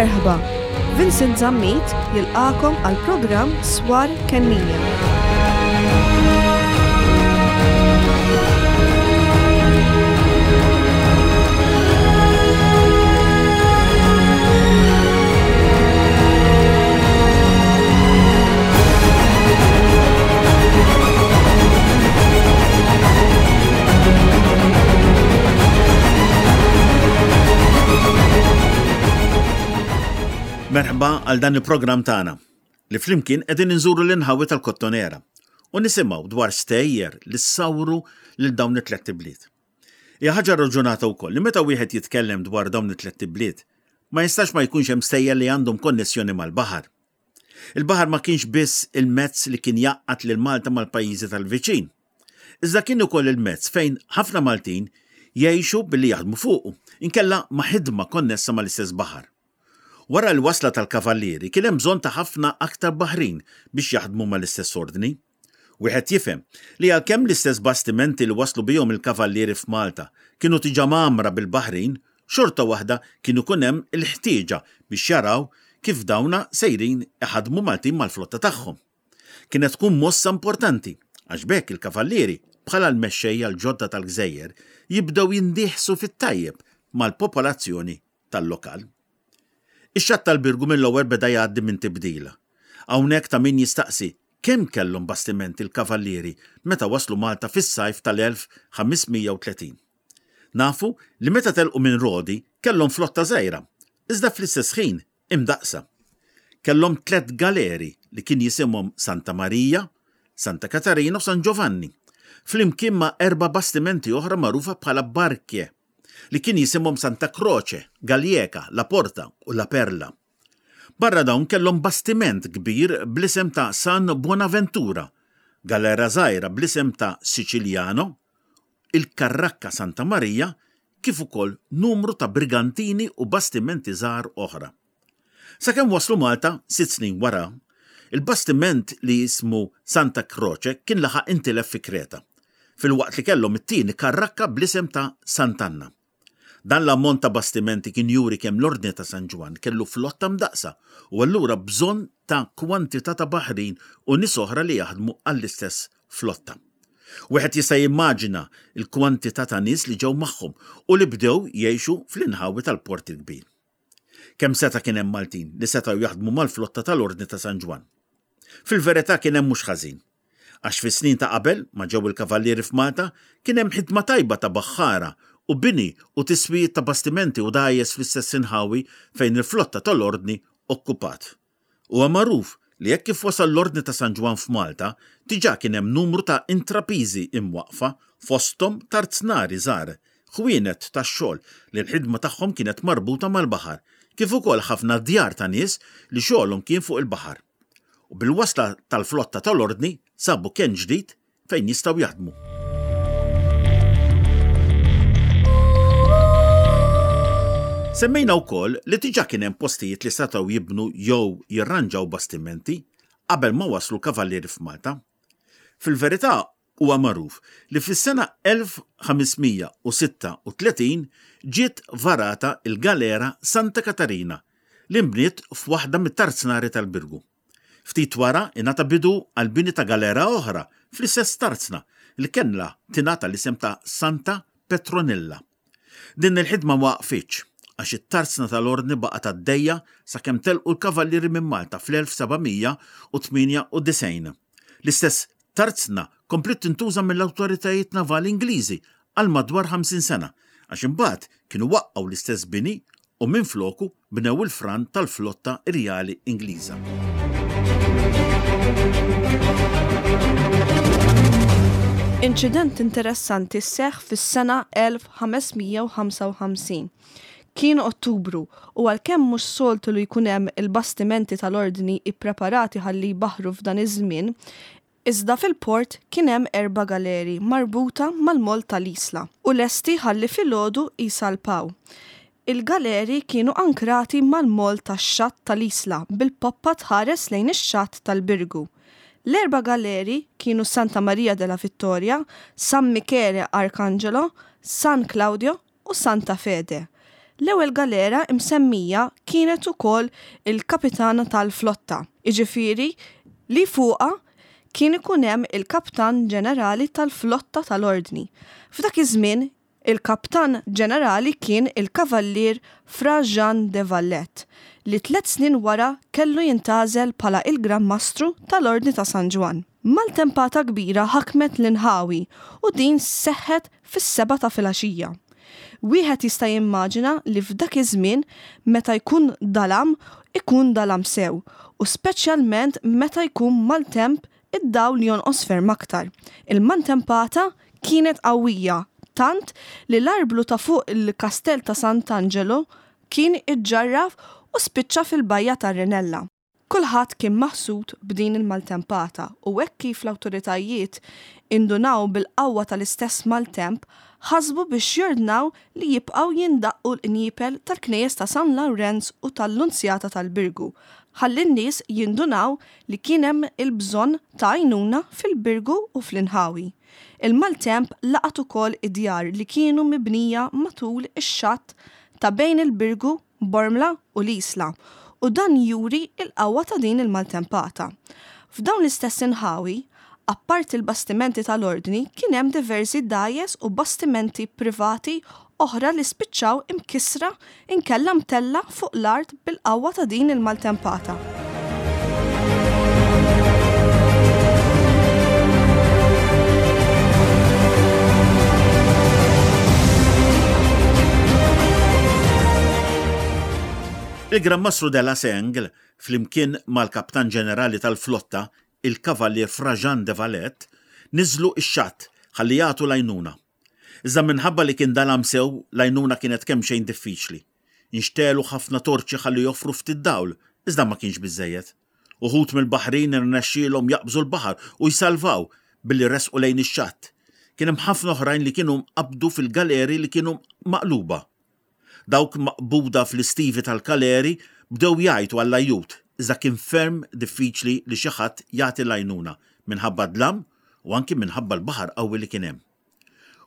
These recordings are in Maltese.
Merħba, Vincent Zammit jilqagħkom għall-programm Swar Kennija. Merħba għal dan il-programm tagħna li flimkien qegħdin inżuru l-inħawi tal-Kottonera u nisimgħu dwar stejjer li ssawru lil dawn it-tlett ibliet. Hija ħaġa raġunata wkoll li meta wieħed jitkellem dwar dawn it-tlett ibliet, ma jistax ma jkunx hemm stejjer li għandhom konnessjoni mal-baħar. Il-baħar ma kienx biss il-mezz li kien jgħaqqad lil Malta mal-pajjiżi tal-viċin, iżda kien ukoll il-mezz fejn ħafna Maltin jgħixu billi jaħdmu fuqu, inkella ma' ħidma konnessa mal-istess baħar. Wara l-wasla tal-Kavallieri kien hemm bżonn ta' ħafna aktar baħrin biex jaħdmu mal-istess ordni. Wieħed jifhem li għalkemm l-istess bastimenti li waslu bihom il-Kavallieri f'Malta kienu diġà mgħammra bil-baħrin, xorta waħda kien ikun hemm il-ħtieġa biex jaraw kif dawna sejrin iħaddmu Maltin mal-flotta tagħhom. Kienet tkun mossa importanti għax b'hekk il-Kavallieri, bħala l-mexxejja l-ġodda tal-gżejjer, jibdew jindieħsu fit-tajjeb mal-popolazzjoni tal-lokal. Ix-xatt tal-Birgu mill-ewwel beda jgħaddi minn tibdil. Hawnhekk ta' min jistaqsi kemm kellhom bastimenti l-Kavallieri meta waslu Malta fis-sajf tal-1530. Nafu li meta telqu minn Rodi kellhom flotta żgħira, iżda fl-istess ħin imdaqqsa. Kellhom tlett galeri li kien jisimhom Santa Marija, Santa Katarina u San Giovanni, flimkien ma' erba' bastimenti oħra magħrufa bħala barche, li kien jisimhom Santa Croce, Gallieka, La Porta u La Perla. Barra dawn kellhom bastiment kbir bl-isem ta' San Buonaventura, galera żgħira bl-isem ta' Siciliano, il-Karrakka Santa Marija kif ukoll numru ta' brigantini u bastimenti żgħar oħra. Sakemm waslu Malta, sitt snin wara, il-bastiment li jismu Santa Croce kien laħaq intilef fi Kreta, filwaqt li kellhom it-tieni karrakka bl-isem ta' Sant'Anna. Dan l-ammont ta' bastimenti kien juri kemm l-Ordni ta' San Ġwann kellu flotta mdaqqsa u allura bżonn ta' kwantità ta' baħrin u nies oħra li jaħdmu għall-istess flotta. Wieħed jista' jimmaġina l-kwantità ta' nies li ġew magħhom u li bdew jgħixu fl-inħawi tal-Port il-Kbir. Kemm seta' kien hemm Maltin li setgħu jaħdmu mal-flotta tal-Ordni ta' San Ġwann? Fil-verità kien hemm mhux ħażin. Għax fis-snin ta' qabel ma ġew il-Kavallieri f'Malta kien hemm ħidma tajba ta' baħħara u bini u tiswijiet ta' bastimenti u dgħajjes fl-istess inħawi fejn il-flotta tal-Ordni okkupat. Huwa magħruf li hekk kif wasal l-Ordni ta' San Ġwann f'Malta diġà kien hemm numru ta' intrapiżi imwaqqfa fosthom tarznari żgħar, ħwienet tax-xogħol li l-ħidma tagħhom kienet marbuta mal-baħar kif ukoll ħafna djar ta' nies li xogħolhom kien fuq il-baħar. U bil-wasla tal-flotta tal-Ordni sabu kenn ġdid fejn jistgħu jaħdmu. Semmejna wkoll li diġà kien hemm postijiet li setgħu jibnu jew jirranġaw bastimenti qabel ma waslu l-Kavallieri f'Malta. Fil-verità huwa magħruf li fis-sena 1536 ġiet varata l-galera Santa Katarina li nbniet f'waħda mit-tarznari tal-Birgu. Ftit wara ingħata bidu għall-bini ta' galera oħra fl-istess tarzna li kellha tingħata l-isem ta' Santa Petronilla. Din il-ħidma ma waqfitx għax it-tarzna tal-Ordni baqgħet għaddejja sakemm telqu l-Kavallieri minn Malta fl-1798. L-istess tarzna kompliet tintuża mill-awtoritajiet navali Ingliżi għal madwar 50 sena għax imbagħad kienu waqqgħu l-istess bini u minfloku bnew il-fran tal-flotta Rjali Ingliża. Inċident interessanti seħħ fis-sena 1555. Kien Ottubru u għalkemm mhux soltu li jkun hemm il-bastimenti tal-Ordni ippreparati ħalli jbaħħru f'dan iż-żmien, iżda fil-port kien hemm erba' galeri marbuta mal-moll tal-Isla u lesti ħalli filgħodu jsalpaw. Il-galeri kienu ankrati mal-moll tax-xatt tal-Isla bil-poppa tħares lejn ix-xatt tal-Birgu. L-erba' galeri kienu Santa Maria della Vittoria, San Michele Arcangelo, San Claudio u Santa Fede. L-ewwel galera msemmija kienet ukoll il-kapitana tal-flotta, jiġifieri li fuqha kien ikun hemm il-kaptan ġenerali tal-flotta tal-Ordni. F'dak iż-żmien, il-kaptan ġenerali kien il-Kavallier Fra Jean de Valette, li tlett snin wara kellu jintgħażel bħala il-Gran Mastru tal-Ordni ta' San Ġwann. Maltempata kbira ħakmet l-inħawi u din seħħet fis-sebgħa ta' filgħaxija. Wieħed jista' jimmaġina li f'dak iż-żmien meta jkun dalam ikun dalam sew u speċjalment meta jkun maltemp id-dawl jonqos ferm aktar. Il-maltempata kienet qawwija tant li l-arblu ta' fuq il-Kastell ta' Sant'Angelo kien iġġarraf u spiċċa fil-bajja tar-Rinella. Kulħadd kien maħsud b'din il-maltempata u hekk kif l-awtoritajiet indunaw bil-qawwa tal-istess maltemp, ħasbu biex jordnaw li jibqgħu jindaqqu l-qniepel tal-knejjes ta' San Lawrenz u tal-Lunzjata tal-Birgu ħalli n-nies jindunaw li kien hemm il-bżonn ta' għajnuna fil-Birgu u fl-inħawi. Il-maltemp laqat ukoll id-djar li kienu mibnija matul ix-xatt ta' bejn il-Birgu Bormla u l-Isla, u dan juri l-qawwa ta' din il-maltempata. F'dawn l-istess inħawi, apparti l-bastimenti tal-Ordni kien hemm diversi dgħajjes u bastimenti privati oħra li spiċċaw imkissra inkella mtellgħa fuq l-art bil-qawwa ta' din il-maltempata. Il-Gran Mastru de la Sengle, flimkien mal-Kaptan Ġenerali tal-Flotta, il-Kavallier Fra Jean de Valette, niżlu x-xatt ħalli jagħtu l-għajnuna. Iżda minħabba li kien dalam sew, l-għajnuna kienet kemxejn diffiċli. Inxtegħlu ħafna torċi ħalli joffru ftit dawl, iżda ma kienx biżżejjed. Uħud mill-baħrin irnexxielhom jaqbżu l-baħar u jsalvaw billi resqu lejn ix-xatt. Kien hemm ħafna oħrajn li kienu nqabdu fil-galeri li kienu maqluba. Dawk maqbuda fl-istivi tal-galeri bdew jgħajtu għall-ajjut, iżda kien ferm diffiċli li xi ħadd jagħti l-għajnuna minħabba d-dlam u anki minħabba l-baħar qawwi li kien hemm.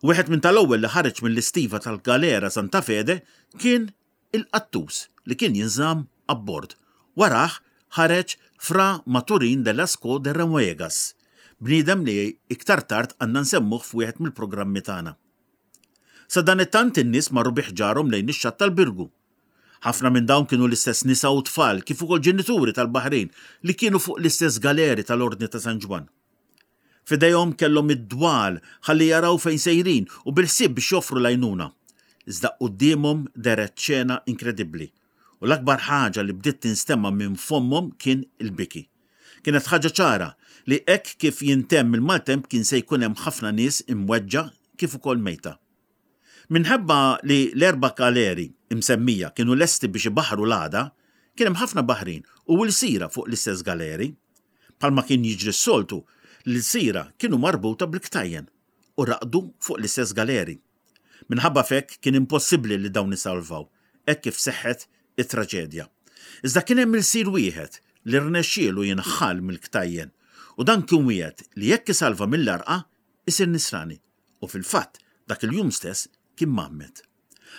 Wieħed minn tal-ewwel li ħareġ mill-istiva tal-galera Santa Fede kien il-qattus li kien jinżamm abbord. Warah ħareġ Fra Maturin de Lascaux de Remuegas, bniedem li iktar tard għandna nsemmuh f'wieħed mill-programmi tagħna. Sadanittant in-nies marru bi ħġarhom lejn ix-xatt tal-Birgu. Ħafna minn dawn kienu l-istess nisa u tfal kif ukoll ġenituri tal-baħrin li kienu fuq l-istess galeri tal-Ordni ta' San Ġwann. F'idejhom kellhom id-dwal ħalli jaraw fejn sejrin u bil-ħsieb biex joffru l-għajnuna. Iżda quddiemhom dehret xena inkredibbli u l-akbar ħaġa li bdiet tinstema' minn fommhom kien il-biki. Kienet ħaġa ċara li hekk kif jintemm il-maltemp kien se jkun hemm ħafna nies imweġġa' kif ukoll mejta. Minħabba li l-erba' galeri msemmija kienu lesti biex ibaħħru l-għada, kien hemm ħafna baħrin u lsira fuq l-istess galeri. Bħalma kien jiġri s-soltu, l-ilsira kienu marbuta bil-ktajjen u raqdu fuq l-istess galeri. Minħabba f'hekk kien impossibbli li dawn isalvaw, hekk kif seħħet it-traġedja. Iżda kien hemm ilsir wieħed li rnexxielu jinħall mill-ktajjen u dan kien wiegħed li jekk isalva mill-għarqa isir nisrani u fil-fatt dak il-jum stess kien mgħammed.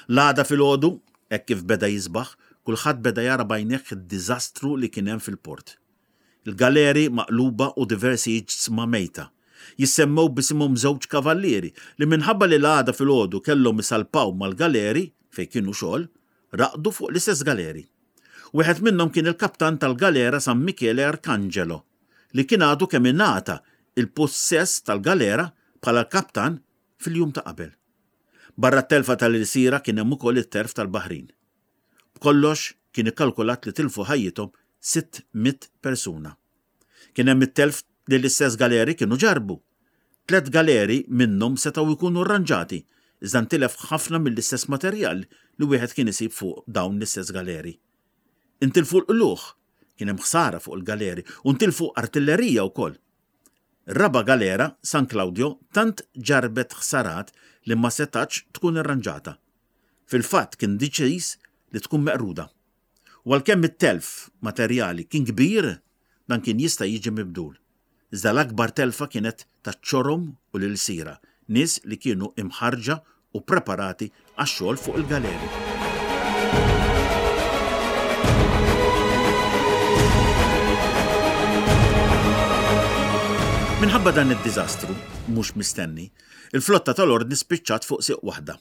L-għada filgħodu, hekk kif beda jisbaħ, kulħadd beda jara b'għajnejh id-diżastru li kien hemm fil-port. Il-galeri maqluba u diversi iġsma mejta. Jissemmew b'isimhom żewġ kavallieri li minħabba li l-għada filgħodu kellhom isalpaw mal-galeri fejn kienu xogħol, raqdu fuq l-istess galeri. Wieħed minnhom kien il-kaptan tal-galera San Michele Arcangelo, li kien għadu kemm ingħata il-pussess tal-galera bħala l-kaptan fil-jum ta' qabel. Barra t-telfa tal-ilsira kien hemm ukoll it-terf tal-baħrin. B'kollox kien ikkalkulat li tilfu ħajjithom 600 persuna. Kien hemm it-telf li l-istess galeri kienu ġarrbu. Tlett galeri minnhom setgħu jkunu rranġati, iżda ntilef ħafna mill-istess materjal li wieħed kien isib fuq dawn l-istess galeri. Intilfu l-qlugħ, kien hemm ħsara fuq il-galeri u ntilfu artillerija wkoll. Ir-raba' galera, San Claudio, tant ġarrbet ħsarat li ma setgħatx tkun irranġata. Fil-fatt kien deċiż li tkun meqruda. U għalkemm it-telf materjali kien kbir, dan kien jista' jiġi mibdul. Iżda l-akbar telfa kienet taċ-ċorom u l-ilsira, nies li kienu imħarrġa u ppreparati għax-xogħol fuq il-galeri. Minħabba dan id-diżastru mhux mistenni, il-flotta tal-Ordni spiċċat fuq sieq waħda.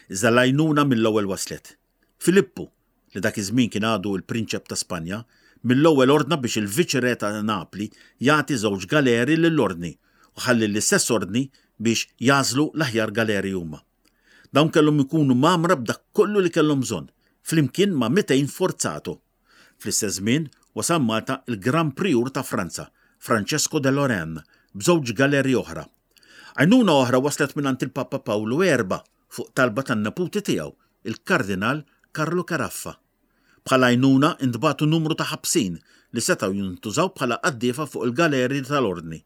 Iżda l-għajnuna mill-ewwel waslet. Filippu, li dak iż-żmien kien għadu l-Prinċep ta' Spanja, mill-ewwel ordna biex il-Viċi-Re ta' Napli jagħti żewġ galeri lill-Ordni u ħalli l-istess Ordni biex jagħżlu l-aħjar galeri huma. Dawn kellhom ikunu mgħammra b'dak kollu li kellhom bżonn, flimkien ma' 200 forzato. Fl-istess żmien wasal Malta l-Gran Prijur ta' Franza, Francesco de Lorraine, b'żewġ galeri oħra. Għajnuna oħra waslet mingħand il-Papa Pawlu Erba' fuq talba tan-neputi tiegħu, il-Kardinal Carlo Caraffa. Bħala għajnuna ntbagħtu numru ta' ħabsin li setgħu jintużaw bħala qaddiefa fuq il-galeri tal-Ordni.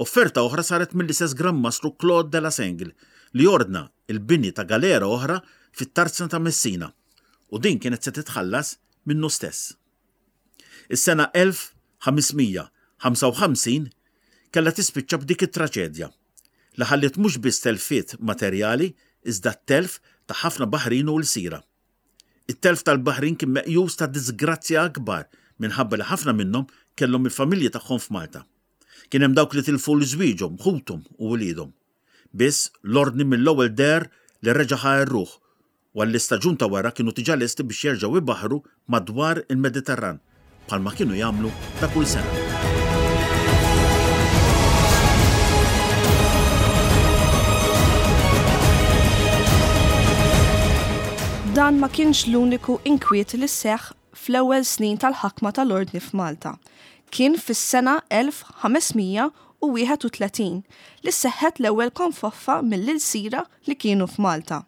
Offerta oħra saret mill-istess Gran Mastru Claude de la Sengle li ordna l-bini ta' galera oħra fit-Tarzna ta' Messina u din kienet se titħallas minnu stess. Is-sena 1555 kellha tispiċċa b'dik it-traċedja li ħalliet mhux biss telfiet materjali iżda t-telf ta' ħafna baħrin u lsira. It-telf tal-baħrin kien meqjus ta' diżgrazzja akbar minħabba li ħafna minnhom kellhom il-familji tagħhom f'Malta. Kien hemm dawk li tilfu 'l żwieġhom, ħuthom u uliedhom. Biss, l-Ordni mill-ewwel deher li reġa' ħa r-ruħ u għall-istaġun ta' wara kienu diġà lesti biex jerġgħu jbaħħru madwar il-Mediterran bħalma kienu jagħmlu ta' kull sena. Dan ma kienx l-uniku inkwiet li seħħ fl-ewwel snin tal-ħakma tal-Ordni f'Malta. Kien fis-sena 1531 li seħħet l-ewwel konfoffa mill-ilsira li kienu f'Malta.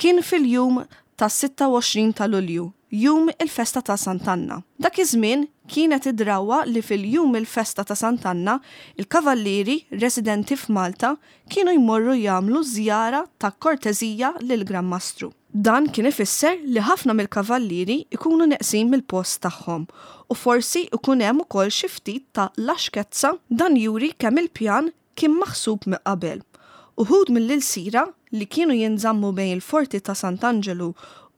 Kien fil-jum tas-26 ta' Lulju, jum il-festa ta' Sant'Anna. Dak iż-żmien kienet id-drawwa li fil-jum il-festa ta' Sant'Anna, il-kavallieri residenti f'Malta kienu jmorru jagħmlu żjara ta' korteżija lill-Gran Mastru. Dan kien ifisser li ħafna mill-kavallieri jkunu neqsin mill-post tagħhom u forsi jkun hemm ukoll xi ftit ta' laxkezza, dan juri kemm il-pjan kien maħsub minn qabel. Uħud mill-ilsira li kienu jinżammu bejn il-Forti ta' Sant'Anġelu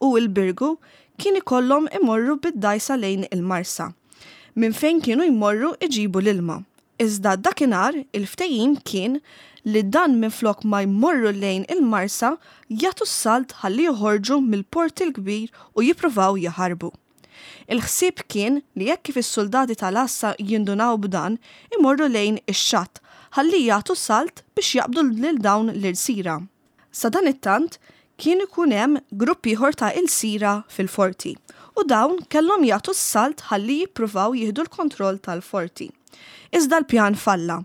u l-Birgu kien ikollhom imorru bid-dgħajsa lejn il-Marsa, minn fejn kienu jmorru iġibu l-ilma. Iżda dakinhar il-ftehim kien li dan minflok ma jmorru lejn il-Marsa jagħtu s-salt ħalli joħorġu mill-Port il-Kbir u jippruvaw jaħarbu. Il-ħsieb kien li hekk kif is-suldati tal-għassa jindunaw b'dan imorru lejn ix-xatt ħalli jagħtu salt biex jaqbdu lil dawn l-ilsira. Sadanittant, kien ikun hemm grupp ieħor ta' ilsira fil-forti, u dawn kellhom jagħtu s-salt ħalli jippruvaw jieħdu l-kontroll tal-forti. Iżda l-pjan falla,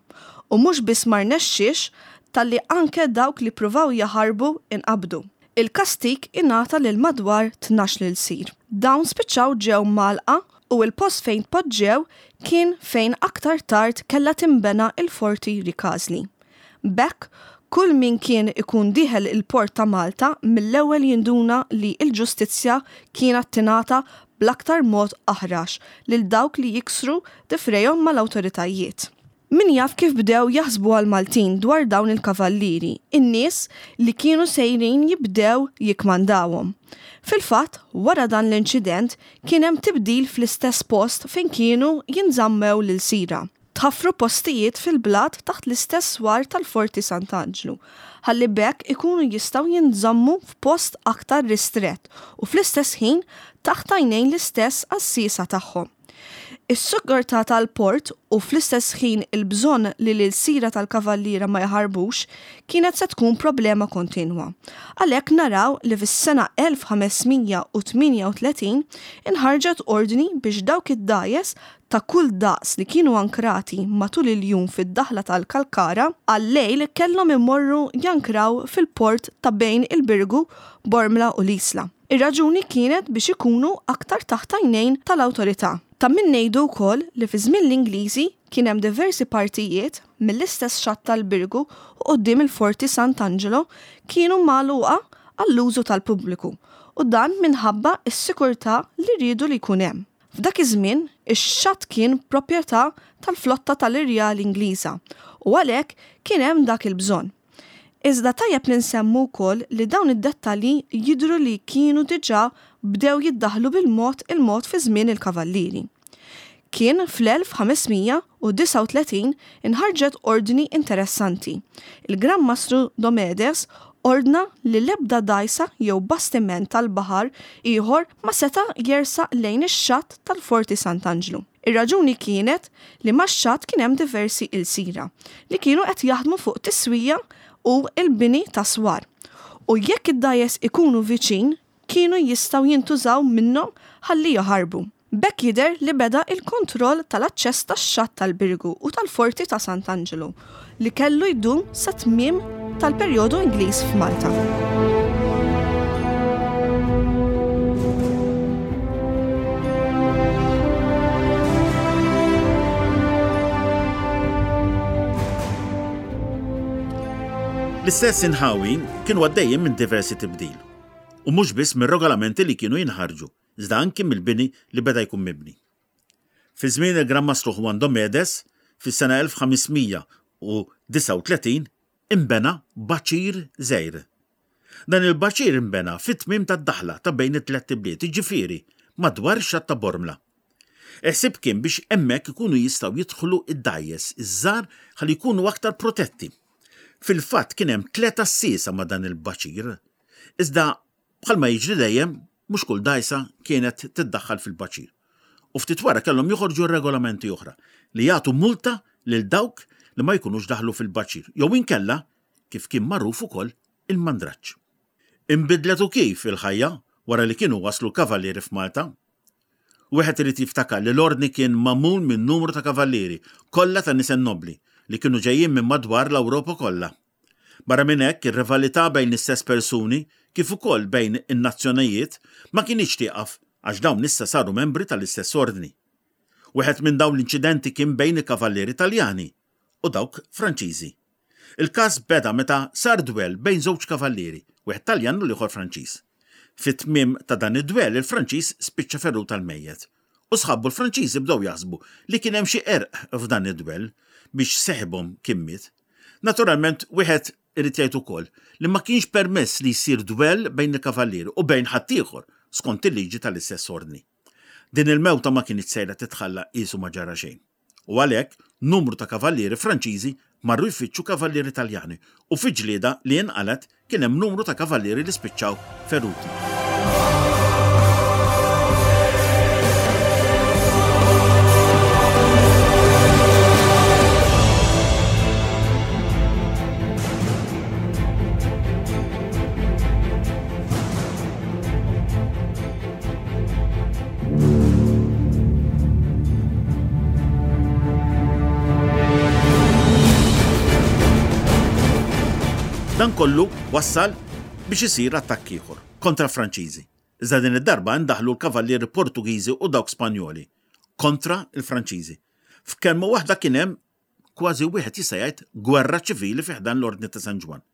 u mhux biss ma rnexxiex talli anke dawk li ppruvaw jaħarbu inqabdu. Il-kastig ingħata lil madwar 12 ilsir. Dawn spiċċaw ġew mgħallqa u l-post fejn tpoġġew kien fejn aktar tard kellha tinbena l-Forti Rikażli. B'hekk, kull min kien ikun dieħel il-port ta' Malta mill-ewwel jinduna li l-ġustizzja kienet tingħata bl-aktar mod aħrax lil dawk li jiksru difrejhom mal-awtoritajiet. Min jaf kif bdew jaħsbuha l-Maltin dwar dawn il-kavallieri, in-nies li kienu sejrin jibdew jikkmandawhom. Fil-fatt, wara dan l-inċident kien hemm tibdil fl-istess post fejn kienu jinżammew l-ilsira. Tħaffru postijiet fil-blat taħt l-istess swar tal-Forti Sant'Anġlu, ħalli b'hekk ikunu jistgħu jinżammu f'post aktar ristrett u fl-istess ħin taħt għajnejn l-istess għassiesa tagħhom. Is-sigurtà tal-port u fl-istess ħin il-bżonn li l-ilsira tal-Kavalliera ma jaħarbux kienet se tkun problema kontinwa. Għalhekk naraw li fis-sena 1538 inħarġet ordni biex dawk id-dgħajjes ta' kull daqs li kienu ankrati matul il-jum fid-daħla tal-Kalkara, għal-lejl kellhom imorru jankraw fil-port ta' bejn il-Birgu, Bormla u l-Isla. Ir-raġuni kienet biex ikunu aktar taħt għajnejn tal-awtorità. Ta' min ngħidu wkoll li fi żmien l-Ingliżi kien hemm diversi partijiet mill-istess xatt tal-Birgu u quddiem il-Forti Sant'Angelo kienu magħluqa għall-użu tal-pubbliku u dan minħabba s-sikurtà li riedu li jkun hemm. F'dak iż-żmien, ix-xatt kien proprjetà tal-flotta tal-Irjali Ingliża u għalhekk kien hemm dak il-bżonn. Iżda tajjeb li nsemmu wkoll li dawn id-dettalji jidhru li kienu diġà bdew jiddaħħlu bil-mod il-mod fi żmien il-Kavallieri. Kien fl-1539 inħarġet ordni interessanti. Il-Gran Mastru Domedes ordna li l-ebda dgħajsa jew bastiment tal-baħar ieħor ma seta' jersaq lejn ix-xatt tal-Forti Sant'Anġlu. Ir-raġuni kienet li max-xatt kien hemm diversi ilsira li kienu qed jaħdmu fuq tiswija u l-bini ta' swar u jekk id-dgħajjes ikunu viċin kienu jistgħu jintużaw minnhom ħalli jaħarbu. B'hekk jidher li beda l-kontroll tal-aċċess tax-xatt tal-Birgu u tal-Forti ta' Sant'Anġelu, li kellu jdum sat-tmiem tal-perjodu Ingliż f'Malta. L-istess inħawi kienu għaddejjin minn diversi tibdil, u mhux biss mir-regolamenti li kienu jinħarġu, iżda anki mill-bini li beda jkun mibni. Fi żmien il-Gran Mastru Juan Domedes, fis-sena 1539, inbena baċir żgħir. Dan il-baċir inbena fit-tmiem tad-daħla ta' bejn it-tlett ibliet, jiġifieri madwar ix-xatt ta' Bormla. Il-ħsieb kien biex hemmhekk ikunu jistgħu jidħlu d-dgħajjes iż-żgħar ħalli jkunu aktar protetti. Fil-fatt kien hemm tlett għassiesa ma' dan il-baċir. Iżda Bħalma jiġri dejjem, mhux kull dgħajsa kienet tiddaħħal fil-baċir. U ftit wara kellhom joħorġu regolamenti oħra li jagħtu multa lil dawk li ma jkunux daħlu fil-baċir jew inkella, kif kien magħruf ukoll, il-mandraġġ. Inbidlet u kif il-ħajja wara li kienu waslu l-kavallieri f'Malta. Wieħed irid jiftakar li l-Ordni kien magħmul minn numru ta' kavallieri, kollha ta' nisel nobbli, li kienu ġejjin minn madwar l-Ewropa kollha. Barra minn hekk, ir-rivalità bejn l-istess persuni, kif ukoll bejn in-nazzjonijiet, ma kinitx tieqaf għax dawn issa saru membri tal-istess ordni. Wieħed minn dawn l-inċidenti kien bejn il-kavallieri Taljani u dawk Franċiżi. Il-każ beda meta sar dwell bejn żewġ kavallieri, wieħed Taljan u l-ieħor Franċiż. Fit-tmiem ta' dan id-dwell il-Franċiż spiċċa ferut għall-mejjet u sħabu l-Franċiżi bdew jaħsbu li kien hemm xi qerq f'dan id-dwell biex seħibhom kien miet. Naturalment, wieħed irid jgħid ukoll li ma kienx permess li jsir dwell bejn il-kavallieri u bejn ħaddieħor skont il-liġi tal-istess ordni. Din il-mewta ma kinitx sejra titħalla qiesu ma ġara xejn. U għalhekk numru ta' kavallieri Franċiżi marru jfittxu kavallieri Taljani u fi ġlieda li inqalgħet kien hemm numru ta' kavallieri li spiċċaw feruti. Dan kollu wassal biex isir attakk ieħor kontra l-Franċiżi. Iżda din id-darba indaħlu l-kavallieri Portugiżi u dawk Spanjoli kontra l-Franċiżi. F'kelma waħda kien hemm kważi wieħed jista' jgħid gwerra ċivili fi ħdan l-Ordni ta' San Ġwann.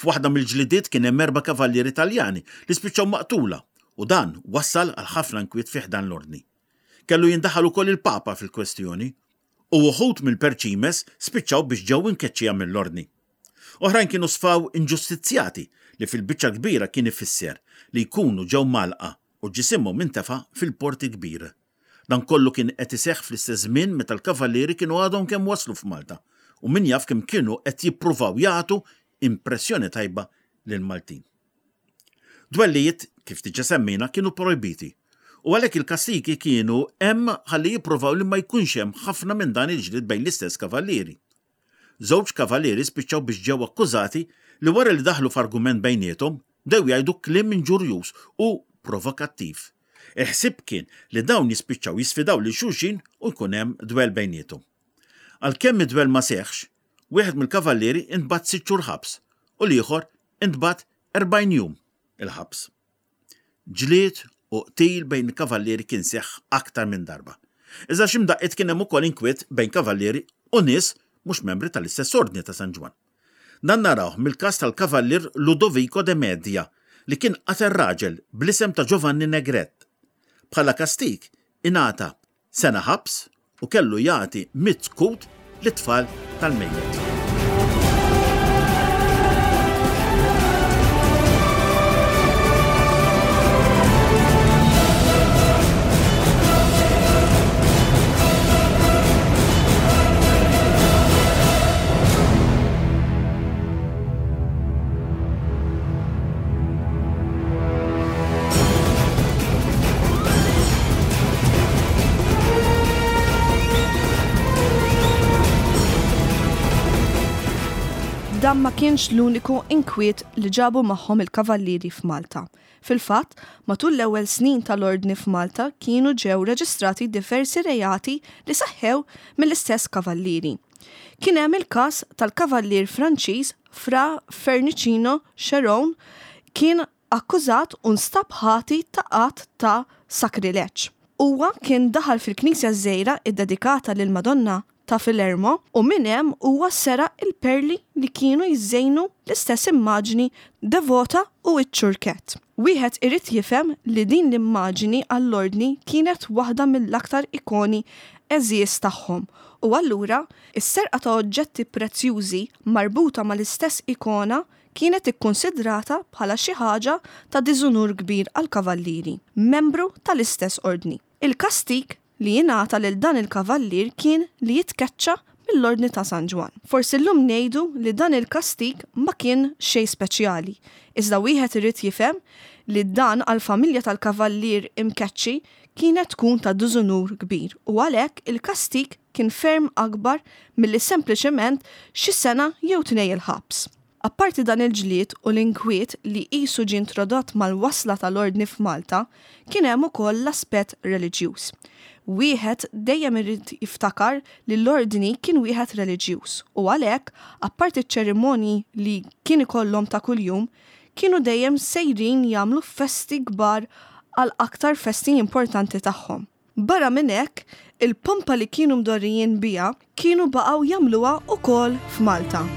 F'waħda mill-ġlidiet kien hemm erba' kavallieri Taljani li spiċċaw maqtula u dan wassal għal ħafna inkwiet fi ħdan l-Ordni. Kellu jindaħal ukoll il-Papa fil-kwestjoni u uħud mill-Perċimes spiċċaw biex ġew imkeċċija mill-Ordni. Oħrajn kienu sfaw inġustizzjati li fil-biċċa l-kbira kien ifisser li jkunu ġew mgħallqa u ġisimhom intefa' fil-Port il-Kbir. Dan kollu kien qed iseħħ fl-istess żmien meta l-Kavallieri kienu għadhom kemm waslu f'Malta u min jaf kemm kienu qed jippruvaw jagħtu impressjoni tajba lill-Maltin. Dwellijiet, kif diġà semmejna, kienu projbiti u għalhekk il-kastigi kienu hemm ħalli jippruvaw li ma jkunx hemm ħafna minn dan il-ġlied bejn l-istess kavallieri. Żewġ kavallieri spiċċaw biex ġew akkużati li wara li daħlu f'argument bejniethom, bdew jgħidu kliem inġurjuż u provokattiv. Il-ħsieb kien li dawn jispiċċaw jisfidaw lil xulxin u jkun hemm dwell bejniethom. Għalkemm id-dwell ma seħħx, wieħed mill-kavallieri ntbagħat sitt xhur ħabs u l-ieħor intbagħat 40 jum il-ħabs. Ġlied u qtil bejn il-kavallieri kien seħħ aktar minn darba. Iżda xi mdaqqiet kien hemm ukoll inkwiet bejn kavallieri u nies mhux membri tal-istess Ordni ta' San Ġwann. Dan narawh mill-każ tal-Kavallier Ludovico de Media li kien qatel raġel bl-isem ta' Giovanni Negret. Bħala kastig ingħata sena ħabs u kellu jagħti mitt kut lit-tfal tal-mejjet. Dan ma kienx l-uniku inkwiet li ġabu magħhom il-Kavallieri f'Malta. Fil-fatt, matul l-ewwel snin tal-Ordni f'Malta kienu ġew reġistrati diversi reati li seħħew mill-istess Kavallieri. Kien hemm il-każ tal-Kavallier Franċiż Fra Fernicino Cheron kien akkużat u nstab ħati ta' att ta' sakrileġġ. Huwa kien daħal fil-knisja ż-żgħira ddedikata lill-Madonna ta' Filermo u minn hemm huwa seraq il-perli li kienu jżejnu l-istess immaġni devota u ċ-ċurkett. Wieħed irid jifhem li din l-immaġini għall-Ordni kienet waħda mill-aktar ikoni għeżież tagħhom u allura s-serqa ta' oġġetti prezzjużi marbuta mal-istess ikona kienet ikkunsidrata bħala xi ħaġa ta' diżunur kbir għall-kavallieri, membru tal-istess ordni. Il-kastig li jingħata lil dan il-kavallier kien li jitkeċċa mill-Ordni ta' San Ġwann. Forsi llum ngħidu li dan il-kastig ma kien xejn speċjali, iżda wieħed irid jifhem li dan għall-familja tal-kavallier imkeċċi kienet tkun ta' diżunur kbir u għalhekk il-kastig kien ferm akbar milli sempliċement xi sena jew tnej il-ħabs. Apparti dan il-ġlied u l-inkwiet li qisu ġie introdott mal-wasla tal-Ordni f'Malta, kien hemm ukoll l-aspett reliġjuż. Wieħed dejjem irid jiftakar li l-Ordni kien wieħed reliġjuż u għalhekk, apparti ċ-ċerimonji li kien ikollhom ta' kuljum, kienu dejjem sejrin jagħmlu festi kbar għal aktar festi importanti tagħhom. Barra minn hekk, il-pompa li kienu mdorrijin biha kienu baqgħu jagħmluha wkoll f'Malta.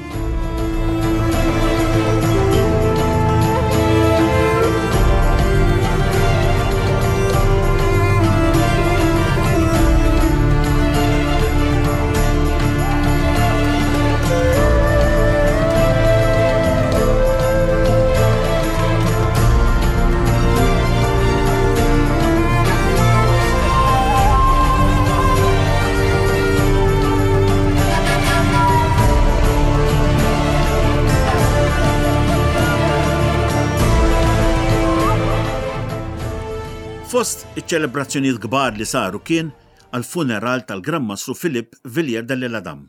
Fost iċ-ċelebrazzjonijiet kbar li saru kien għall-funeral tal-Gran Mastru Philippe Villiers de l'Isle-Adam,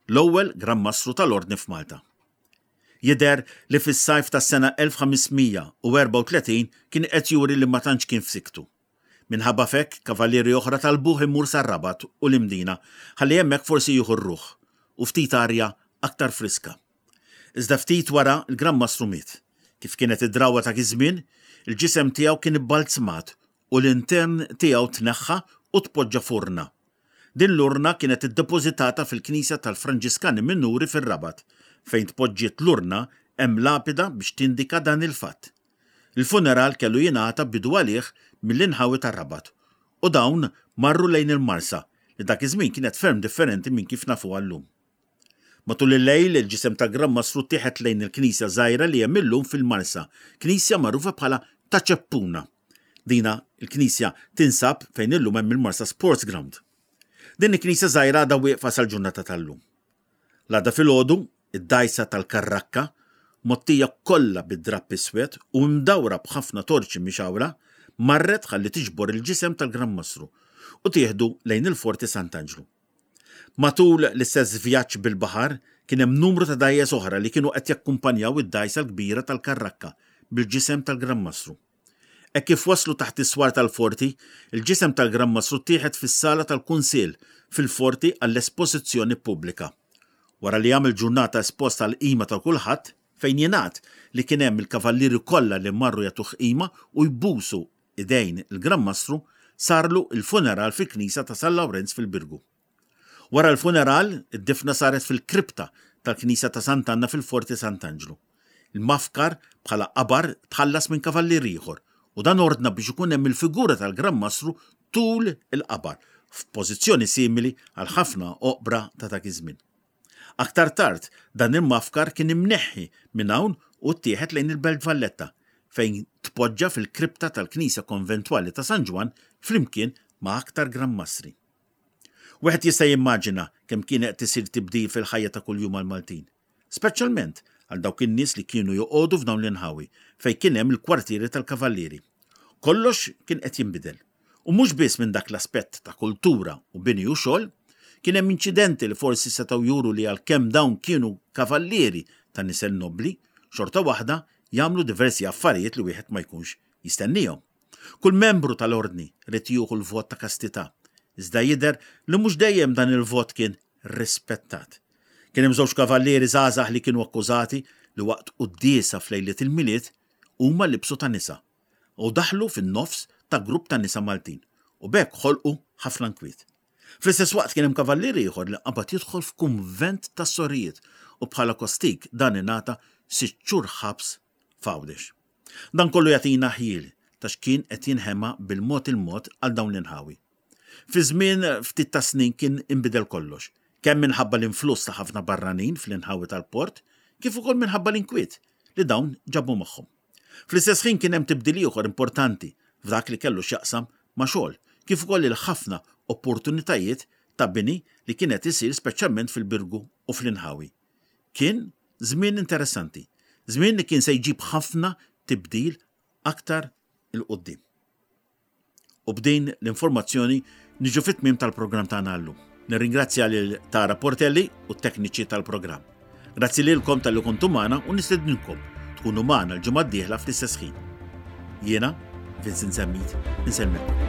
l-ewwel Gran Mastru tal-Ordni f'Malta. Jidher li fis-sajf tas-sena 1534 kien qed juri li ma tantx kien f'siktu. Minħabba f'hekk, kavallieri oħra talbuh imur sar-Rabat u l-Imdina ħalli hemmhekk forsi jieħu r-ruħ u ftit arja aktar friska. Iżda ftit wara l-Gran Mastru miet. Kif kienet id-drawwa ta' iż-żmien, il-ġisem tiegħu kien ibbalzmat u l-intern tiegħu tneħħa u tpoġġa f'urna. Din l-urna kienet iddepożitata fil-knisja tal-Franġiskani Minuri fir-Rabat. Fejn tpoġġiet l-urna hemm lapida biex tindika dan il-fatt. Il-funeral kellu jingħata bidu għalih mill-inħawi tar-Rabat u dawn marru lejn il-Marsa li dak iż-żmien kienet ferm differenti minn kif nafuha llum. Matul il-lejl, il-ġisem tal-Gran Mastru ttieħed lejn il-knisja żgħira li hemm illum fil-Marsa, knisja magħrufa bħala Ta' Ċeppuna. Dina l-knisja tinsab fejn illum hemm il-Marsa Sports Ground. Din il-knisja żgħira għadha wieqfa sal-ġurnata tal-lum. L-għada filgħodu, id-dgħajsa tal-Karrakka, mgħottija kollha bid-drapp iswed u imdawra b'ħafna torċi mixgħula, marret ħalli tiġbor il-ġisem tal-Gran Mastru u tieħdu lejn il-Forti Sant'Anġlu. Matul l-istess vjaġġ bil-baħar, kien hemm numru ta' dgħajjes oħra li kienu qed jakkumpanjaw id-dgħajsa l-kbira tal-Karrakka bil-ġisem tal-Gran Mastru. Hekk kif waslu taħt is-swar tal-forti, il-ġisem tal-Gran Mastru ttieħed fis-sala tal-Kunsill fil-forti għall-espożizzjoni pubblika. Wara li għamel ġurnata espost għall-qima ta' kulħadd, fejn jingħad li kien hemm il-kavallieri kollha li marru jagħtuh qima u jbusu idejn il-Gran Mastru, sarlu l-funeral fil-Knisja ta' San Lawrenz fil-Birgu. Wara l-funeral, id-difna saret fil-kripta tal-Knisja ta' Sant'Anna fil-Forti Sant'Anġlu. Il-mafkar bħala qabar tħallas minn kavallier ieħor u dan ordna biex ikun hemm il-figura tal-Gran Mastru tul il-qabar, f'pożizzjoni simili għal ħafna oqbra ta' dak iż-żmien. Aktar tard, dan il-mafkar kien imneħħi minn hawn u ttieħed lejn il-Belt Valletta, fejn tpoġġa fil-kripta tal-Knisja Konventwali ta' San Ġwann flimkien ma' aktar Gran Mastri. Wieħed jista' jimmaġina kemm kien qed isir tibdil fil-ħajja ta' kuljum għall-Maltin, speċjalment għal dawk in-nies li kienu joqogħdu f'dawn l-inħawi fejn kien hemm il-kwartieri tal-Kavallieri. Kollox kien qed jinbidel. U mhux biss minn dak l-aspett ta' kultura u bini u xogħol, kien hemm inċidenti li forsi setgħu juru li għalkemm dawn kienu kavallieri ta' nisel nobbli, xorta waħda jagħmlu diversi affarijiet li wieħed ma jkunx jistennihom. Kull membru tal-Ordni ried jieħu l-vot ta' kastità, iżda jidher li mhux dejjem dan il-vot kien rispettat. Kien hemm żewġ kavallieri żgħażagħ li kienu akkużati li waqt quddiesa f'lejliet il-Milied huma libsu ta' nisa u daħlu fin-nofs ta' grupp ta' nisa Maltin u b'hekk ħolqu ħafna nkwiet. Fl-istess waqt kien hemm kavallier ieħor li qabad jidħol f'kunvent tas-sorijiet u bħala kostig dan ingħata sitt xhur ħabs f'Għawdex. Dan kollu jagħtina ħjiel ta' x'kien qed jinħema bil-mod il-mod għal dawn l-inħawi. Fi żmien ftit ta' snin kien inbidel kollox, kemm minħabba l-influss ta' ħafna barranin fl-inħawi tal-port, kif ukoll minħabba l-inkwiet li dawn ġabu magħhom. Fl-istess ħin kien hemm tibdil ieħor importanti f'dak li kellu x'jaqsam ma' xogħol, kif ukoll il-ħafna opportunitajiet ta' bini li kien qed isir speċjalment fil-Birgu u fl-inħawi. Kien żmien interessanti, żmien li kien se jġib ħafna tibdil aktar 'il quddiem. U b'din l-informazzjoni niġu fit-tmiem tal-programm tagħna llum. Nirringrazzja lil Tara Portelli u t-tekniċi tal-programm. Grazzi lilkom talli kontu magħna u nistedninkom tkunu magħna l-ġimgħa d-dieħla fl-istess ħin. Jiena, Vincent Zammit, insellmilkom.